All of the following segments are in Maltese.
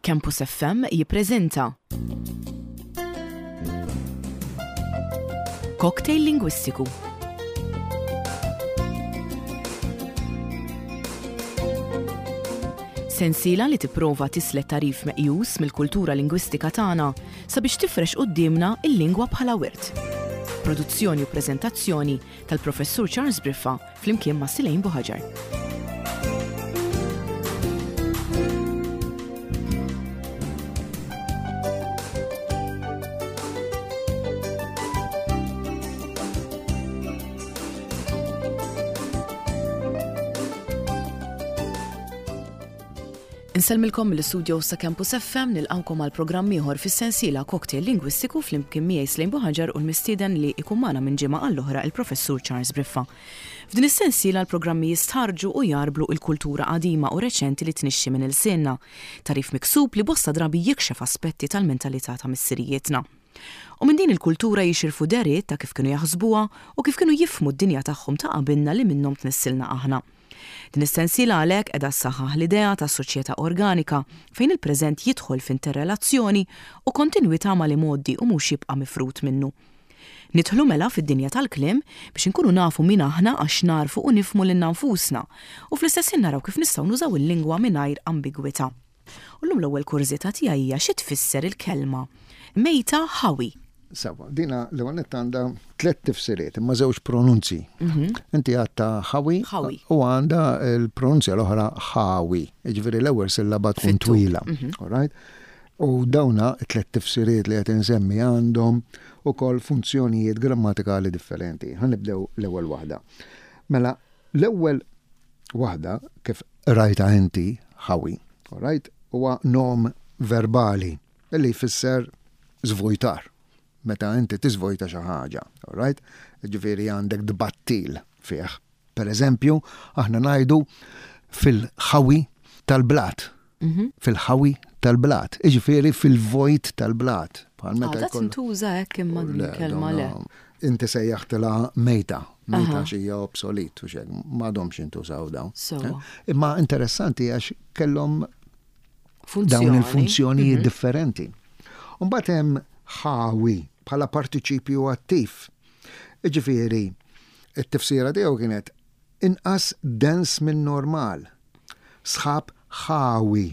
Campus FM jippreżenta Cocktail Lingwistiku. Sensiela li tipprova tislet tagħrif meqjus mill-kultura lingwistika tagħna sabiex tifrex quddiemna l-lingwa bħala wirt. Produzzjoni u preżentazzjoni tal-Professur Charles Briffa flimkien ma' Silejn Buħaġar. Insellmilkom mill-istudios ta' Campus FM nilqawkom għal programm ieħor fis-sensiela Cocktail Lingwistiku flimkien miegħi Slejn Buħaġar u l-mistieden li ikun magħna minn ġimgħa għall-oħra il-Professur Charles Briffa. F'din is-sensiela l-programmi jistħarrġu u jgħarblu il-kultura qadima u reċenti li tnixxi minn ilsienna, tagħrif miksub li bosta drabi jikxef aspetti tal-mentalità ta' missirijietna. U minn din il-kultura jixirfu dehriet ta' kif kienu jaħsbuha u kif kienu jifhmu d-dinja tagħhom ta' qabilna li minnhom tnissilna aħna. Din is-sensiela għalhekk qiegħda ssaħħaħ l-idea ta' soċjetà organika fejn il-preżent jidħol f'interrelazzjoni u kontinwità mal-imgħoddi u mhux jibqa' mifrud minnu. Nidħlu mela fid-dinja tal-kliem biex inkunu nafu min aħna għax nagħrfu u nifhmu lilna nfusna u fl-istess ħin naraw kif nistgħu nużaw il-lingwa mingħajr ambigwità. U llum l-ewwel kurżità tiegħi hija xi tfisser il-kelma mejta ħawi? Sewwa, dina l-ewwel nett għandha tlett tifsiriet imma żewġ pronunzji. Inti għadtha ħawi u għandha l-pronunzja l-oħra ħawi. Jiġifieri l-ewwel sillaba tkun twila. All right? U dawna t-tlett tifsiriet li qed insemmi għandhom ukoll funzjonijiet grammatikali differenti. Ħa nibdew l-ewwel waħda. Mela, l-ewwel waħda kif qrajtha inti, ħawi, all right, huwa nom verbali li jfisser żvojtar. Meta inti tiżvojta xi ħaġa, all right? Ġifieri għandek tbattil fih. Per eżempju, aħna ngħidu fil-ħawi tal-blat. Mhm. Fil-ħawi tal-blat, iġifieri fil-vojt tal-blat. Bħal meta Għadha tintuża hekk imma din il-kelma le. Inti sejjaħtilha mejta, mejta xi hija obsolit u xek, m'għadhomx jintużaw dawn. Eh? Imma interessanti għax kellhom dawn il-funzjonijiet mhm. differenti. Mbagħad hemm ħawi bħala partiċipju attiv. Jiġifieri, it-tifsira tiegħu kienet inqas dens min-normal, sħab ħawi,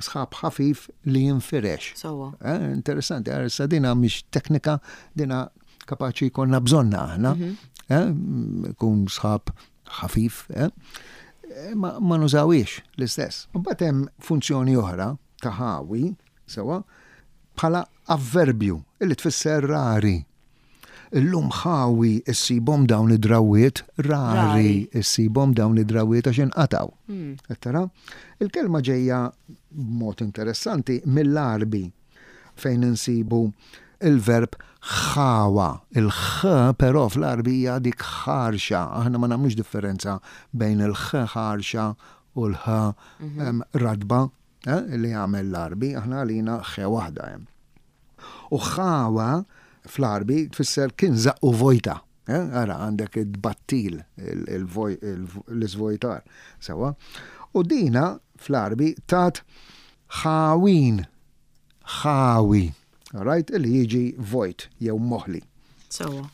sħab ħafif li jinfirex. Sewwa. Eh, interessanti, għar issa dina mhix teknika, dina kapaċi jkollna bżonna aħna. Mhm. Eh, kun sħab ħafif, eh? eh ma, ma nużawiex l-istess. Mbagħad hemm funzjoni oħra ta' ħawi, sewa, bħala avverbju illi tfisser rari. Illum ħawi issibhom dawn id-drawwiet, rari issibhom dawn id-drawwiet għax inqatgħu. Hmm. Qed tara? Il-kelma ġejja b'mod interessanti mill-Għarbi fejn insibu il-verb ħawa. Il-ħ però fl-Għarbi hija dik ħarxa. Aħna ma nagħmlux differenza bejn il-ħ ħarxa u l-ħ mhm. radba eh, li jagħmel l-Għarbi, aħna għalina ħ waħda hemm. U ħawa fl-Għarbi tfisser kien żaqqu vojta. Eh, ara għandek id-battil, l-iżvojtar. Sewa. U dina fl-Għarbi tat ħawin, ħawi, right, li jiġi vojt jew moħli. Sewa.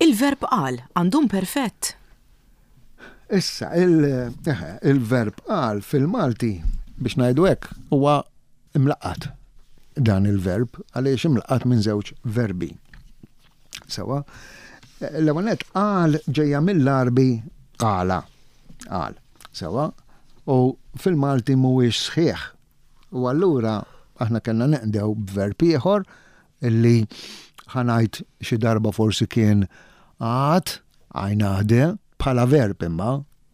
Il-verb qal għandu imperfett? Issa, il-verb qal fil-Malti, biex ngħidu hekk, huwa imlaqqat dan il-verb għaliex imlaqqat minn żewġ verbi. Sewa, l-ewwel nett qal ġejja mill-Għarbi qala, qal. Sewa, u fil-Malti mhuwiex sħiħ. U allura aħna kellna neqdew b'verb ieħor illi ħa ngħid xi darba forsi kien għad, għajnade, bħala verb imma,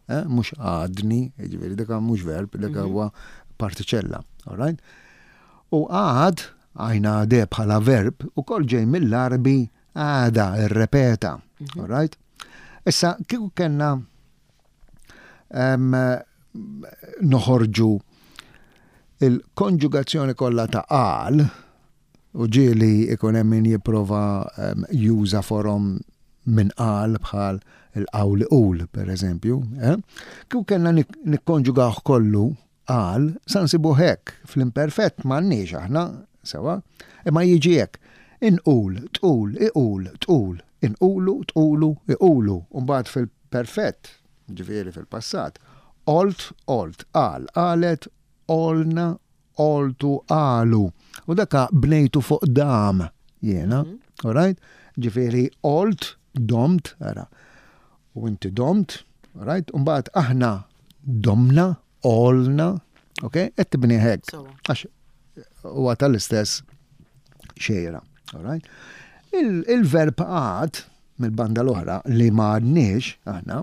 eh, mhux għadni, jiġifieri dik mhux verb, dik mhm. huwa partiċella, all right? U għad, għajnade bħala verb, ukoll ġej mill-Għarbi għada, irrepeta, mhm. all right? Issa, kieku kellna noħorġu il-konġugazzjoni kollha ta' qal, U ġieli ikun hemm min jipprova juża forom minn qal bħal il-qawl iqul, per eżempju. Eh? Kieku kellna nikkonġugawh kollu. qal, sa nsibuh hekk, fl-imperfett m'għandniex aħna, sewwa, imma jiġi hekk, inqul, tqul, iqul, tqul, inqulu, tqulu, iqulu, u mbagħad fil-perfett, ġifieri fil-passat, qolt, qolt, qal, qalet, qolna, qoltu, qalu. U daka bnejtu fuq dam jiena, all right? Ġifieri qolt, domt, ara. U inti domt, all right? U mbagħad aħna domna, qolna, ok? Qed tibni hekk. Għax huwa tal-istess xejra, all right? Il-verb għad mill-banda l-oħra li ma għadniex aħna,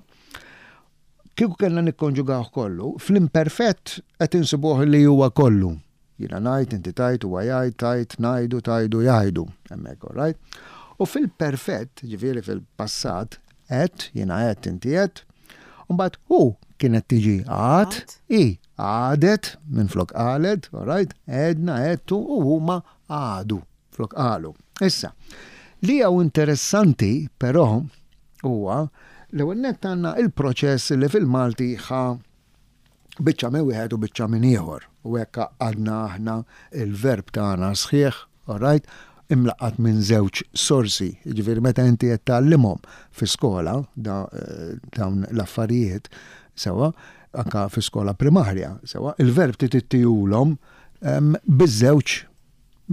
kieku kellna nikkonġugawh kollu, fl-imperfett qed insibuh li huwa kollu. Jiena ngħid, inti tgħid, huwa jgħid, tgħid, ngħidu, tgħidu, jgħidu. Hemmhekk, all right? U fil-perfett, ġifieri fil-passat, għedt, jiena għedt, inti għedt, u mbagħad hu kienet tiġi għad, hi għadet, minflok qalet, all right? Għedna, għedtu, u huma għadu, flok qalu. Issa, li hawn interessanti, però, huwa l-ewwel nett għandna il-proċess li fil-Malti ħa biċċa minn wieħed u biċċa minn ieħor. U hekk għadna aħna il-verb tagħna sħiħ, all right, imlaqqat minn żewġ sorsi. Jiġifieri meta inti qed tgħallimhom fi skola eh, dawn l-affarijiet sewwa, anka fi skola primarja, sewwa, il-verb trid ittihulhom ehm, biż-żewġ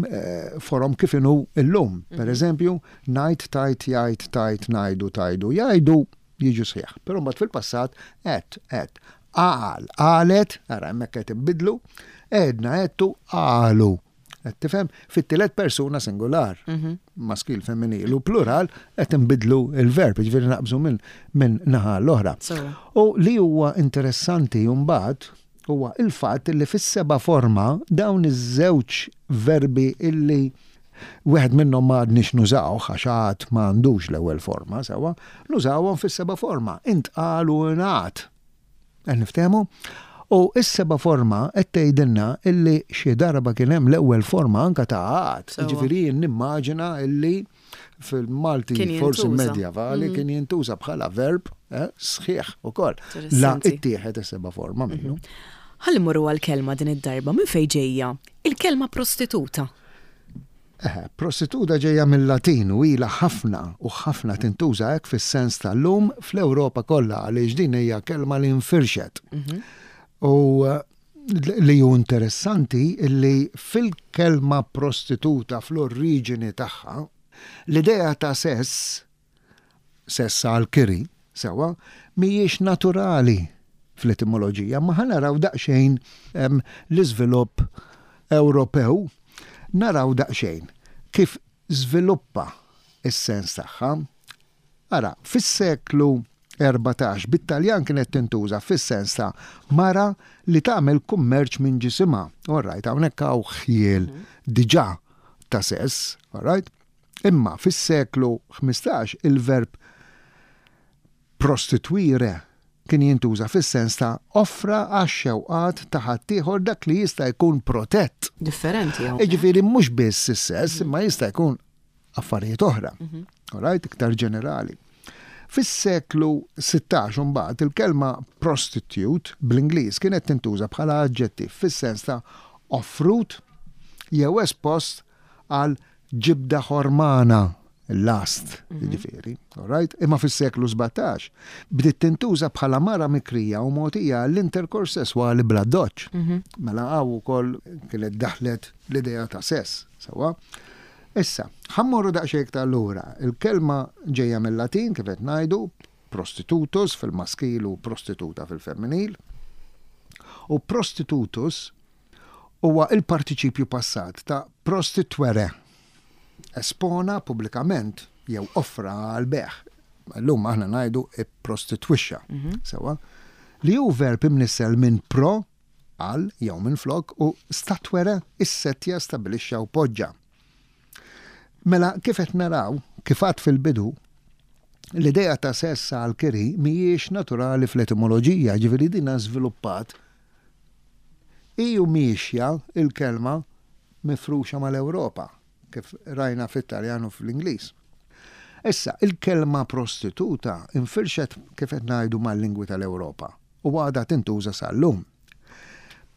eh, forom kif inhu illum. Per mhm. eżempju, ngħid, tajt, jgħid, tajt, ngħidu, tajdu, jgħidu, jiġu sħiħ. Però mbagħad fil-passat għedt, għedt. Qal, qalet, ara hemmhekk qed inbidlu, għedna, għedtu, qalu. Qed tifhem? Fit-tielet persuna singular, mhm. maskil, femminil u plural, qed inbidlu il-verb, ġifieri naqbżu minn min naħa l-oħra. U li huwa interessanti mbagħad huwa il-fatt li fis-seba' forma dawn iż-żewġ verbi illi wieħed minnhom ma għadniex nużawh għax għad ma għandux l-ewwel forma sewwa, nużawhom fis-seba' forma, intqal u ingħad. Qed niftehmu? U s-seba' forma qed tgħidilna illi xi darba kien hemm l-ewwel forma anke ta' għad. Jiġifieri jien nimmaġina illi fil-Malti forsi medjavali mm. kien jintuża bħala verb eh, sħiħ ukoll. La ittieħed is-seba' forma minnu. Mhm. Ħalli morru għal-kelma din id-darba minn fejn ġejja il-kelma prostituta. Eh, prostituta ġejja mill-Latin u ilha ħafna u ħafna tintuża hekk fis-sens tal-lum fl-Ewropa kollha għaliex din hija kelma li nfirxet. Mhm. U eh, Li hu interessanti li fil-kelma prostituta fl-oriġini tagħha, l-idea ta' sess, sess għall-kiri, sewwa, mhijiex naturali fl-etimoloġija, imma ħa naraw daqsxejn l-iżvilupp Ewropew, naraw daqsxejn kif żviluppa s-sens tagħha. Ara, fis-seklu 14, bit-Taljan kienet tintuża fis-sens ta' mara li tagħmel kummerċ minn ġisimha. All right, hawnhekk hawn ħjiel diġà ta' sess, all right? Imma fis-seklu 15 il-verb prostituire kien jintuża fis-sens ta' offra għax-xewqat ta' ħaddieħor dak li jista' jkun protett. Differenti hawnhekk. Jiġifieri mhux biss is-sess, imma jista' jkun affarijiet oħra. Mhm. Right, iktar ġenerali. Fis-seklu 16 mbagħad il-kelma prostitute bl-Ingliż kienet tintuża bħala aġġettiv fis-sens ta' offrut jew espost għal ġibda ħormana last, mhm. jiġifieri, all right? Imma fis-seklu 17 bdiet tintuża bħala mara mikrija u mogħtija l-interkors sesswali bla doċ. Mhm. Mela hawn ukoll kienet daħlet l-idea ta' sess, sewwa. Issa, ħa mmorru daqsxejn iktar lura. Il-kelma ġejja mil-Latin, kif qed ngħidu, prostitutus fil-maskil u prostituta fil-femminil. U prostitutus huwa il-partiċipju passat ta' prostituere, espona pubblikament jew offra għall-bejgħ. Illum aħna ngħidu ipprostitwixxa, mhm. sewwa, li hu verb imnissel minn pro għal jew minflok u statuere issettja, stabbilixxa u poġġa. Mela kif qed naraw, kif għadt fil-bidu, l-idea ta' sess għal kiri mhijiex naturali fl-etimoloġija, ġifieri dinha żviluppat hi u miexja l-kelma mifruxa mal-Ewropa, kif rajna fit-Taljan u fl-Ingliż. Issa, il-kelma prostituta infirxet kif qed ngħidu mal-lingwi tal-Ewropa. u għadha tintuża sal-lum.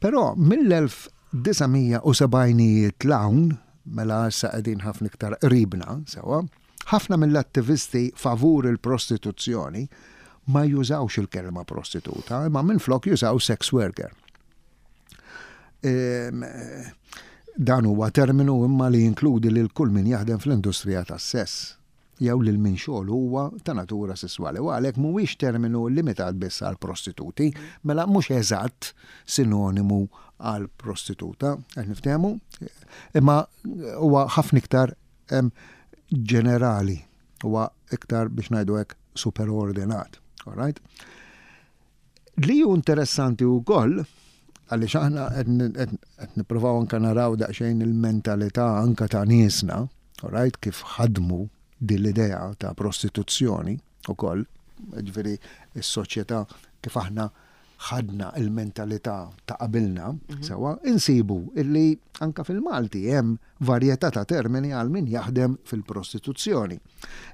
Però mill-1970ijiet 'l hawn, mela issa qegħdin ħafna iktar qribna, sewwa, ħafna mill-attivisti favur il-prostituzzjoni ma jużawx il-kelma prostituta, imma minflok jużaw sex worker. Dan huwa terminu imma li jinkludi lil kull min jaħdem fl-industrija tas-sess jew lil min xogħlu huwa ta' natura sesswali u għalhekk mhuwiex terminu limitat biss għall-prostituti, mela mhux eżatt sinonimu għal prostituta, qed niftehmu, imma huwa ħafna iktar ġenerali, huwa iktar biex ngħidu hekk superordinat. All right? Li hu interessanti wkoll, għaliex aħna qed nippruvaw anke naraw daqsxejn il-mentalità anke ta' niesna, right, kif ħadmu din l-idea ta' prostituzzjoni ukoll, ġifieri s-soċjetà kif aħna ħadna il-mentalità ta' qabilna, mhm. sewa, insibu illi anka fil-Malti hemm varjetà ta' termini għal min jaħdem fil-prostituzzjoni.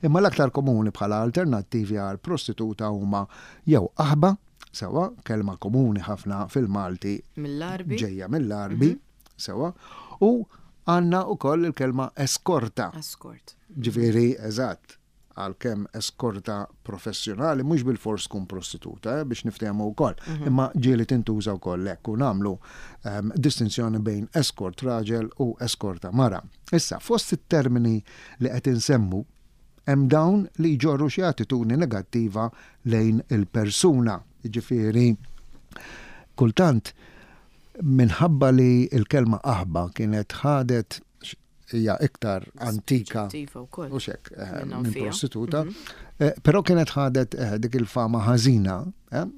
Imma l-aktar komuni bħala alternattivi għal prostituta huma jew qaħba, sewwa, kelma komuni ħafna fil-Malti Mill-Għarbi. ġejja mill-Għarbi, sewwa, u għandna wkoll il-kelma eskorta. Eskort. Ġifieri, eżatt, għalkemm eskorta professjonali mhux bilfors tkun prostituta, eh, biex niftehmu wkoll, imma ġieli tintuża wkoll hekk u nagħmlu ehm, distinzjoni bejn eskort raġel u eskorta mara. Issa, fost it-termini li qed insemmu hemm dawn li jġorru xi attitudni negattiva lejn il-persuna. Jiġifieri, kultant minħabba li l-kelma qaħba kienet ħadet hija iktar antika u xek eh, minn prostituta, mhm. eh, però kienet ħadet eh, dik il-fama ħażina,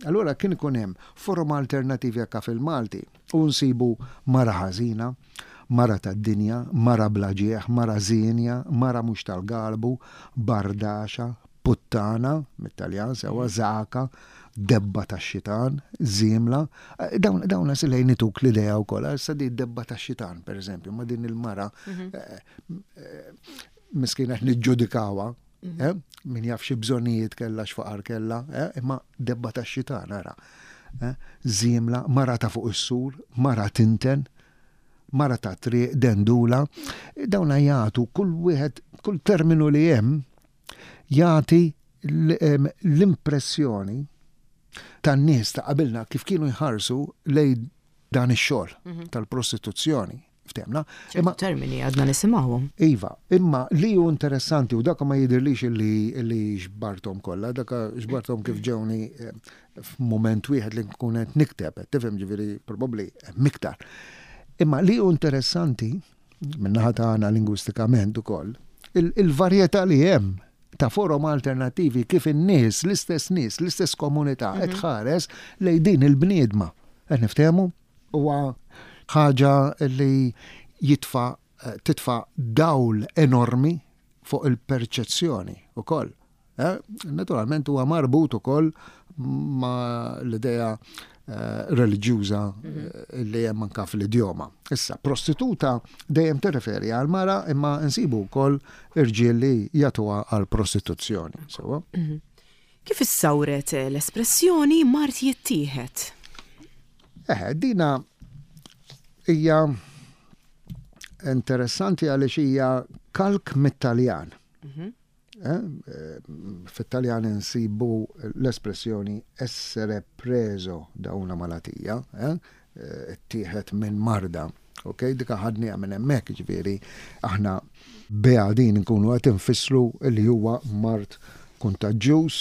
allura kien ikun hemm forom alternativi anke fil-Malti u nsibu mara ħażina, mara tad-dinja, mara bla ġieħ, mara żienja, mara mhux tal-galbu, bardaxa, puttana, mit-Taljan sewwa, żagħka, debba tax-xitan, żiemla. Dawn dawn lejn ituk l-idea wkoll, issa di debba tax-xitan, pereżempju, ma din il-mara mhm. eh, eh, miskina qed niġġudikawha, mhm. eh, min jaf xi bżonnijiet kellha x'faqar kellha, imma debba tax-xitan ara. Żiemla, mara ta' fuq is-sur, mara tinten, mara ta' triq, dendula, dawna jagħtu kull wieħed, kull terminu li hemm jagħti l-impressjoni tan-nies ta' qabilna kif kienu jħarsu lejn dan ix-xogħol mhm. tal-prostituzzjoni. Ftemna. Imma termini għadna nisimgħuhom. Iva, imma li hu interessanti u dak ma jidirlix li li xbartom kollha, dak xbartom kif ġewni eh, f'mument wieħed li nkun qed nikteb, tifhem ġifieri probabbli miktar. Imma li hu interessanti min-naħa tagħna lingwistikament ukoll, il-varjetà li hemm ta' forom alternattivi kif in-nies, l-istess nies, l-istess komunità qed mhm. tħares lejn din il-bniedma. Qed niftehmu? Huwa ħaġa li jitfa' eh, titfa' dawl enormi fuq il-perċezzjoni ukoll. Eh, naturalment huwa marbut ukoll ma l-idea eh, reliġjuża mhm. eh, li hemm anka fl-idjoma. Issa, prostituta dejjem tirreferi għal mara imma nsibu wkoll irġiel li jagħtuha għal prostituzzjoni. Sewa? Mhm. Kif issawret l-espressjoni mart jittieħed? Eh, dina hija interessanti għaliex hija kalk mit-Taljan. Mhm. Eh, fit-Taljan insibu l-espressjoni essere preso da una malattia, eh, ittieħed minn marda. Ok, dika ħadniha minn hemmhekk, ġifieri aħna biha din nkunu qed infissru li huwa mard kuntaġġjuż,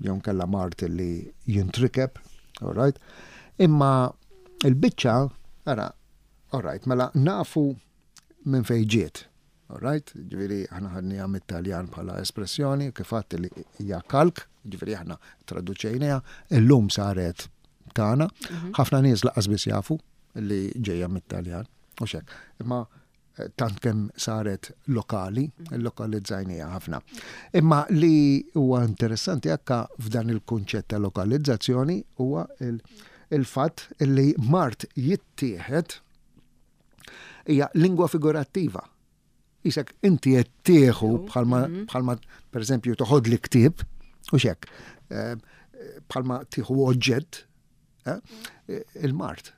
jew nkella mard li jintrikeb, all right? Imma il-biċċa, ara, all right, mela nafu minn fejn ġiet. All right? Ġifieri aħna ħadniha mit-Taljan bħala espressjoni, kif għadt li hija kalk, ġifieri aħna traduċejniha, illum saret tagħna. Mhm. Ħafna nies laqas biss jafu li ġejja mit-Taljan, u xek. Imma eh, tant kemm saret lokali, mhm. lokalizzajnija ħafna. Imma li huwa interessanti akka f'dan il-kunċett ta' lokalizzazzjoni huwa il-fatt li mart jittieħed Hija lingwa figurattiva. Isek inti qed tieħu bħalma mhm. bħalma pereżempju toħod li ktieb u xek eh, bħalma tieħu oġġett eh, il-mart.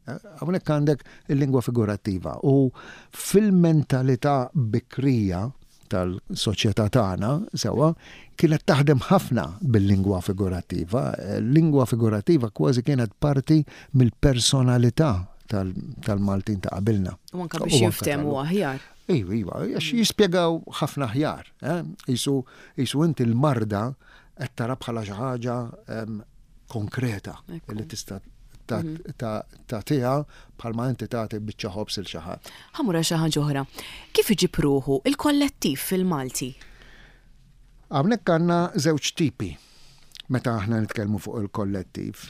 Hawnhekk għandek il-lingwa figurattiva u fil-mentalità bikrija tal-soċjetà tagħna, sewwa, kienet taħdem ħafna bil-lingwa figurattiva. Lingwa figurattiva kważi kienet parti mill-personalità tal-Maltin ta' qabilna. U anke biex jinftehmu aħjar. Iva, iva, għax jispjegaw ħafna aħjar. Eh? Isu, isu inti l-marda qed tara bħala xi ħaġa konkreta li tista' tagħtiha bħalma inti tagħti biċċa ħobż il xi ħadd. Ħa mmur għal xi ħaġa oħra. Kif iġib ruħu il-kollettiv fil-Malti? Hawnhekk għandna żewġ tipi meta aħna nitkellmu fuq il-kollettiv.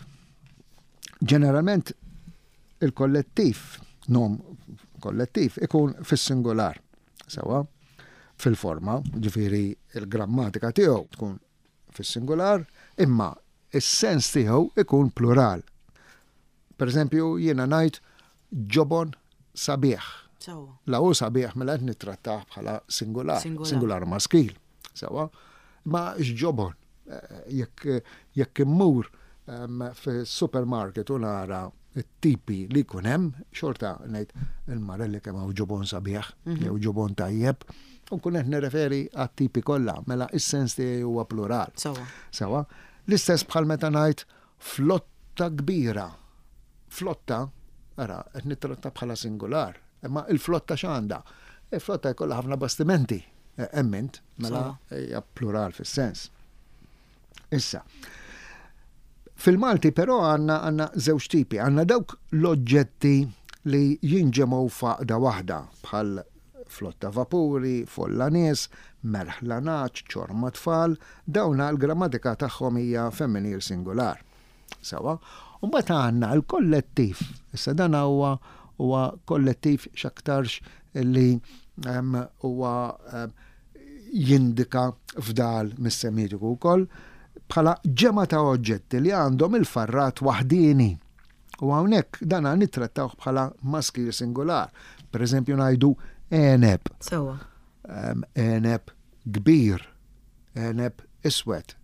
Ġeneralment il-kollettiv, nom kollettiv, ikun fis-singular, sewa, fil-forma, ġifieri il-grammatika tiegħu tkun fis-singular, imma is-sens tiegħu ikun plural. Per eżempju, jiena ngħid ġobon sabiħ. La hu sabiħ mela qed nittrattah bħala singular, singular maskil. Sewa, ma x'ġobon eh, jekk jekk immur ehm, fis-supermarket u nara it-tipi li jkun hemm, xorta ngħid il-marelli kemm hawn ġobon sabiħ mhm. jew ġobon tajjeb, u nkun qed nirreferi għat-tipi kollha, mela is-sens tiegħi huwa plural. Sewa. Sewa. L-istess bħal meta ngħid flotta kbira. Flotta, ara, qed nittratta bħala singular, imma il-flotta x'għandha? Il-flotta jkollha ħafna bastimenti, eh, emmint, mela hija plural fis-sens. Issa, fil-Malti però għandna għandna żewġ tipi, għandna dawk l-oġġetti li jinġemgħu f'għaqda waħda bħal flotta vapuri, folla nies, merħla nagħaġ, ċorma tfal, dawna l-grammatika tagħhom hija femminil singular. Sewa? U mbagħad għandna l-kollettiv. Issa dan huwa huwa kollettiv x'aktarx li huwa jindika fdal mis-Semitiku wkoll bħala ġemgħa ta' oġġetti li għandhom il-farrat waħdieni. U hawnhekk dan nittrattawh bħala maskil singular. Per eżempju ngħidu għeneb. Sewwa. Għeneb kbir, għeneb iswed.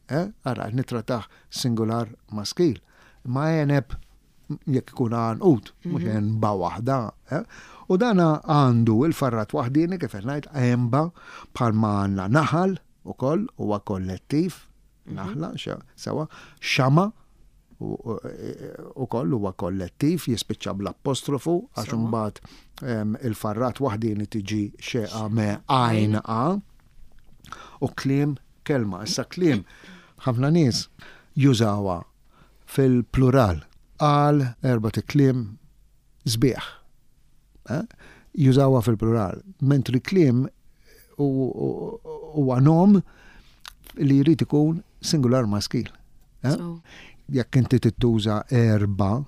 Eh? Ara, nittrattah singular maskil. Ma għeneb jekk ikun għanqud, mhux mhm. għenba waħda. Eh? U dan għandu il-farrat waħdini kif qed ngħid għenba bħalma għandna naħal ukoll huwa kollettiv, mhm. naħla, sewa, xama ukoll huwa kollettiv jispiċċa bl-apostrofu għax imbagħad il-farrat waħdini tiġi xeqa me għajn a u kliem kelma. Issa kliem ħafna nies jużawha fil-plural qal erbat ikliem sbieħ. Eh? Jużawha fil-plural. Mentri kliem huwa nom li jrid ikun singular maskil. Eh? Jekk inti tittuża erba,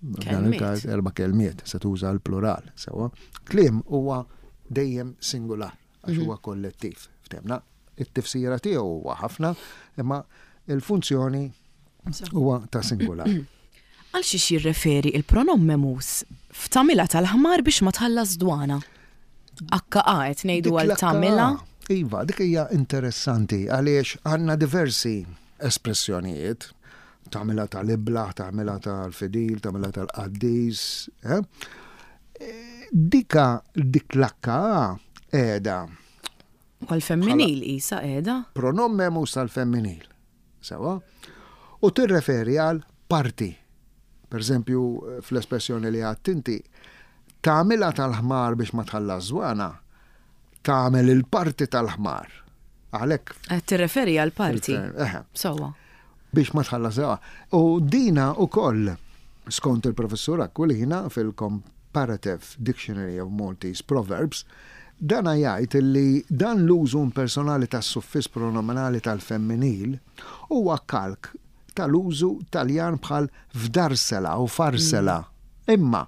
dan il-każ erba' kelmiet, se tuża l-plural, sewa. Kliem huwa dejjem singular. għax huwa kollettiv. Ftemna, it-tifsira tiegħu huwa ħafna, imma il-funzjoni huwa ta' singular. Għal xiex jirreferi il-pronom memus f'tagħmilha tal-ħmar biex ma tħallas dwana? HA qed ngħidu għal tagħmilha. Iva, dik hija interessanti għaliex għandna diversi espressjonijiet tagħmilha tal-iblah, tagħmilha tal-fidil, tagħmilha tal-qaddis. Eh? Dika dik l-akka qiegħda. Għal-femminil isa qiegħda. Pronom memus tal-femminil. Sewa. U tirreferi għal parti. Per eżempju, fl-espressjoni li għadt inti, tagħmilha tal-ħmar biex ma tħallas żwana, tagħmel il-parti tal-ħmar. Għalhekk. Qed tirreferi għal parti. Sewwa. Biex ma tħallas żwana. U dina wkoll, skont il-Professur Aquilina fil-Comparative Dictionary of Maltese Proverbs, dana jgħid li dan l-użu impersonali tas-suffiss pronominali tal-femminil huwa kalk tal-użu Taljan bħal fdarsela u farsela. Imma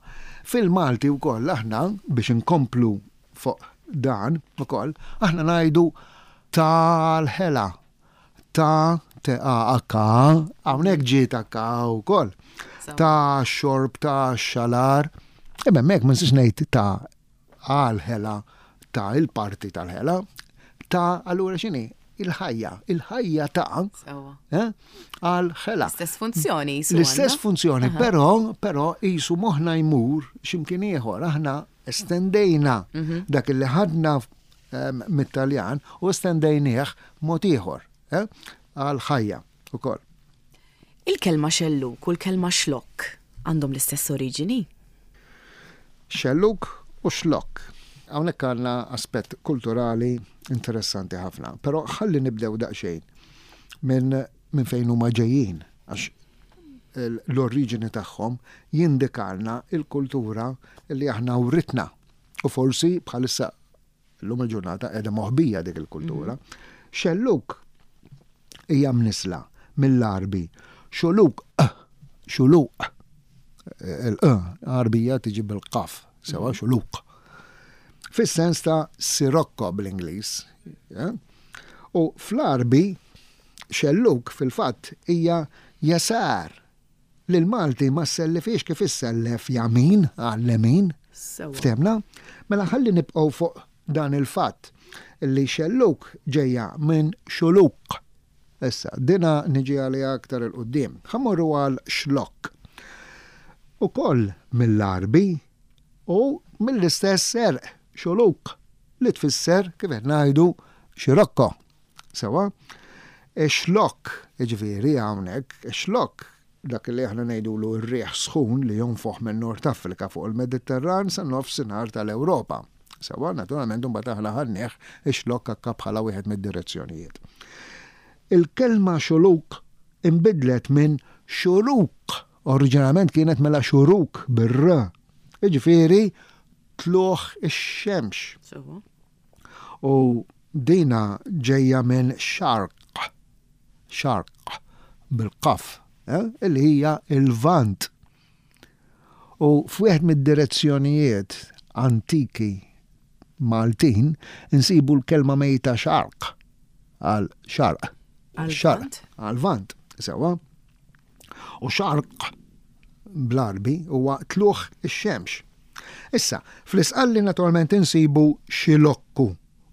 fil-Malti wkoll aħna, biex inkomplu fuq dan ukoll, aħna ngħidu tal-ħela, ta' T-A-H-A, hawnhekk ġiet H-A wkoll, ta' xorb, ta' xalar, imma hemmhekk ma nistax ngħid ta' għal-ħela, ta' il-parti tal-ħela, ta' allura x'inhi? il-ħajja, il-ħajja ta' eh, għal ħela. L-istess funzjoni. L-istess funzjoni, però però jisu moħna jmur x'imkien ieħor, aħna estendejna mhm. dak li ħadna ehm, mit-Taljan u estendejnieh mod ieħor eh, għal ħajja ukoll. Il-kelma xelluk u l-kelma xlokk għandhom l-istess oriġini? Xelluk u xlokk. Hawnhekk għandna aspett kulturali interessanti ħafna. Però ħalli nibdew daqsxejn minn min fejn huma ġejjin għax l-oriġini tagħhom jindikalna il-kultura li aħna writna u forsi bħalissa Illum il-ġurnata qiegħda moħbija dik il-kultura. Mhm. Xelluk hija mnisla mill-Għarbi. Xuluk, xuluq. Il-q Għarbija tiġi bil-qaf, sewa mhm. xuluq. Fis-sens ta' sirocco bl-Ingliż. Eh? U fl-Għarbi xelluk fil-fatt hija jasar Lill-Malti ma ssellifhiex kif issellef jamin għal-lemin. Ftehmna? Mela ħalli nibqgħu fuq dan il-fatt li xelluk ġejja minn xuluk. Issa, dina niġi għaliha aktar 'il quddiem. Ħa mmorru għal xlokk. Ukoll mill-Għarbi u mill-istess għerq, xuluk, li tfisser, kif qed ngħidu, xirokko. Sewwa? Ix-xlokk, jiġifieri hawnhekk, ix-xlokk, dak li aħna ngħidulu r-riħ sħun li jonfoħ minn Nord Afrika fuq il-Mediterran sa nofsinhar tal-Ewropa. Sewwa, naturalment imbagħad aħna ħadnieh ix-xlokk akka bħala wieħed mid-direzzjonijiet. Il-kelma xuluk inbidlet minn xuruk, oriġinalment kienet mela xuruk bir-r, jiġifieri tlugħ ix-xemx. Sewwa. U dina ġejja minn xarq, xarq bil-qaf, eh, illi hija il-Lvant. U f'wieħed mid-direzzjonijiet antiki Maltin insibu l-kelma mejta xarq għal xarq. Xarq għal vant, sewwa. U xarq bl-Għarbi huwa tlugħ ix-xemx. Issa, fl-Isqalli naturalment insibu xilokku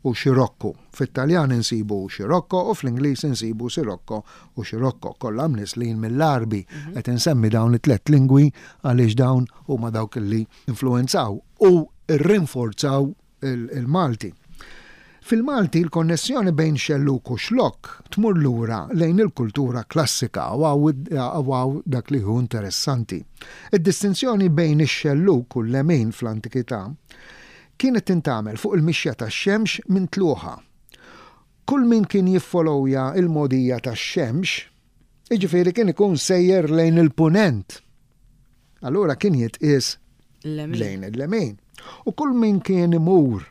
u xirokku. Fit-Taljan insibu xirocco u fl-Ingliż insibu sirocco u scirocco, kollha mnisslin mill-Għarbi. Qed insemmi dawn it-tlett lingwi għaliex dawn huma dawk li influwenzaw u rrinforzaw il-Malti. Fil-Malti l-konnessjoni bejn xellug u xlokk tmur lura lejn il-kultura klassika u hawn dak li hu interessanti. Id-distinzjoni bejn ix-xellug u l-lemin fl-antikità kienet tintgħamel fuq il-mixja tax-xemx minn tlugħha. Kull min kien jiffolowja l-mogħdija tax-xemx, jiġifieri kien ikun sejjer lejn il-punent. Allura kien jitqies lejn il-lemin. U kull min kien imur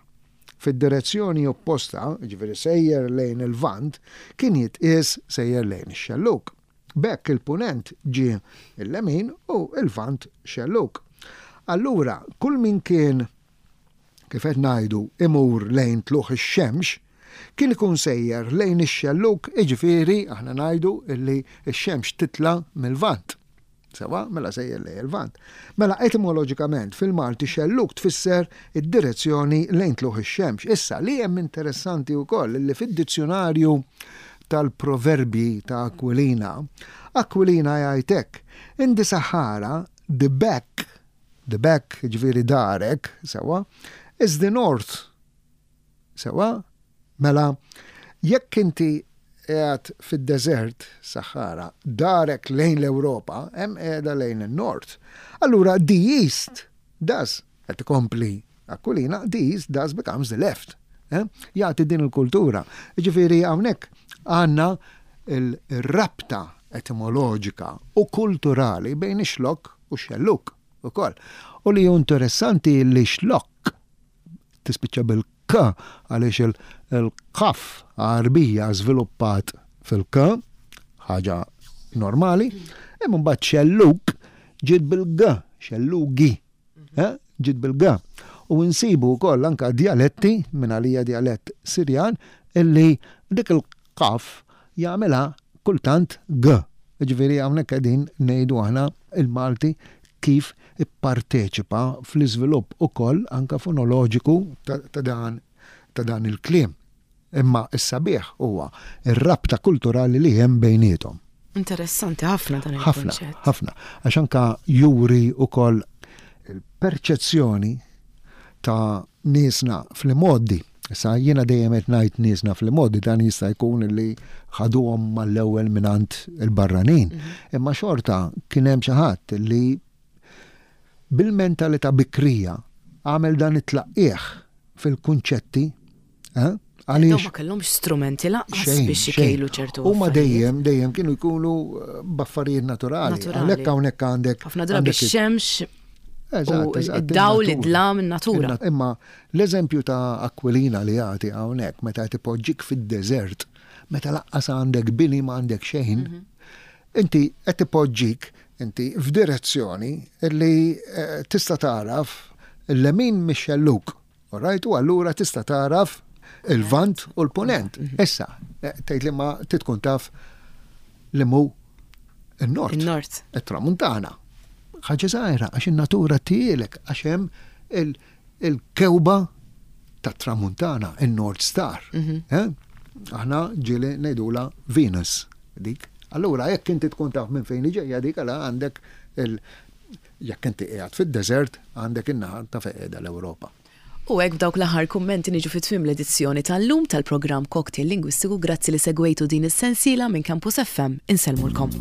fid-direzzjoni opposta, jiġifieri sejjer lejn il-Lvant, kien jitqies sejjer lejn ix-xellug. B'hekk il-Punent ġie l-lemin u l-Lvant xellug. Allura kull min kien, kif qed ngħidu, imur lejn tlugħ ix-xemx, kien ikun sejjer lejn ix-xellug, jiġifieri aħna ngħidu li x-xemx titla' mil-Lvant. Sewwa, mela sejjer lejn il-Lvant. Mela etimoloġikament fil-Malti xellug tfisser id-direzzjoni lejn tlugħ ix-xemx. Issa, li hemm interessanti wkoll li fid-dizzjunarju tal-proverbji ta' Aquilina, Aquilina jgħid hekk, In the Sahara, the back, the back, jiġifieri darek, sewwa, is the north. Sewwa? Mela, jekk inti qiegħed fid-deżert, Sahara, darek lejn l-Ewropa, hemm qiegħda lejn in-nord. Allura the east does, qed ikompli Aquilina, the east does becomes the left. Eh? Jagħti din il-kultura. Ġifieri hawnhekk għandna il-rabta etimoloġika u kulturali bejn ix-xlokk u x-xellug ukoll. U li hu interessanti li xlokk tispiċċa bil-k għaliex il-kaf Għarbija żviluppat fil-k, ħaġa normali, imma mbagħad xellug ġiet bil-g, xellugi, eh, ġiet bil-g. U nsibu wkoll anka djaletti, minn għalija djalett Sirjan, illi dik il-kaf jagħmilha kultant g. Jiġifieri hawnhekk qegħdin ngħidu aħna il-Malti kif ipparteċipa fl-iżvilupp ukoll anke fonoloġiku ta' dan ta' dan il-kliem. Imma s-sabiħ huwa r-rabta kulturali li hemm bejniethom. Interessanti ħafna dan il-kunċett. Ħafna, ħafna. Għax anka juri wkoll il-perċezzjoni ta' niesna fl-imgħoddi. Issa jiena dejjem qed ngħid niesna fl-imgħoddi dan jista' jkun li ħaduhom mal-ewwel mingħand il-barranin. Mhm. Imma xorta kien hemm xi ħadd li bil-mentalità bikrija għamel dan it-tlaqqigħ fil-kunċetti eh? Għaliex ma kellhomx strumenti lanqas biex ikejlu ċertu. Huma dejjem dejjem kienu jkunu eh, b'affarijiet naturali. Għalhekk hawnhekk għandek. Ħafna drabi x-xemx id-dawl, id-dlam, in-natura. Imma l-eżempju ta' Aquilina li jagħti hawnhekk meta qed ipoġġik fid-deżert, meta laqqas għandek bini ma għandek xejn, mhm. Inti qed ipoġġik inti f'direzzjoni li eh, tista' tagħraf il-lemin mix-xellug. Alright, u allura tista' tagħraf il-vant u l-punent. Mhm. Issa, eh, tgħid li ma titkun taf li mu il-nord. Il-nord. Il-tramuntana. Ħaġa żgħira għax in-natura tielek għax hemm il-kewba tat-tramuntana, in-North Star. Mhm. Eh? Aħna ġieli ngħidula Venus dik. Allura jekk inti tkun taf minn fejn ġejja dik għala għandek il jekk inti qiegħed fid-deżert għandek in-naħa ta' fejn qiegħda l-Ewropa. U hekk b'dawk l-aħħar kummenti niġu fi tmiem l-edizzjoni tal-lum tal-programm Cocktail Lingwistiku. Grazzi li segwejtu din is-sensiela minn Campus FM. Insellmulkom.